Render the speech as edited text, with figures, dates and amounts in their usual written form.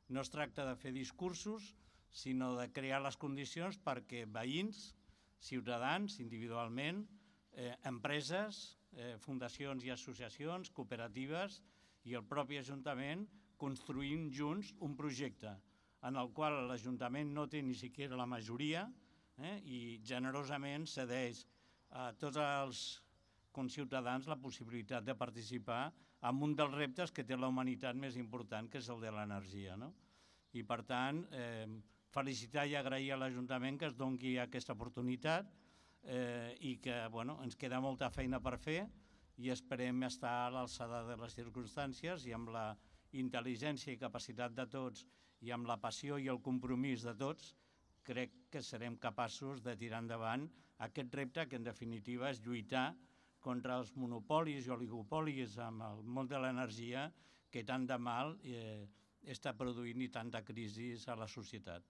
No es tracta de fer discursos, sinó de crear les condicions perquè veïns, ciutadans, individualment, empreses, fundacions i associacions, cooperatives i el propi Ajuntament construïm junts un projecte en el qual l'Ajuntament no té ni siquiera la majoria i generosament cedeix a tots els conciutadans la possibilitat de participar en un dels reptes que té la humanitat més important, que és el de l'energia. I, per tant, felicitar i agrair a l'Ajuntament que es doni aquesta oportunitat i que ens queda molta feina per fer i esperem estar a l'alçada de les circumstàncies i amb la intel·ligència i capacitat de tots i amb la passió i el compromís de tots crec que serem capaços de tirar endavant aquest repte que en definitiva és lluitar contra els monopolis i oligopolis amb el món de l'energia que tant de mal està produint i tanta crisi a la societat.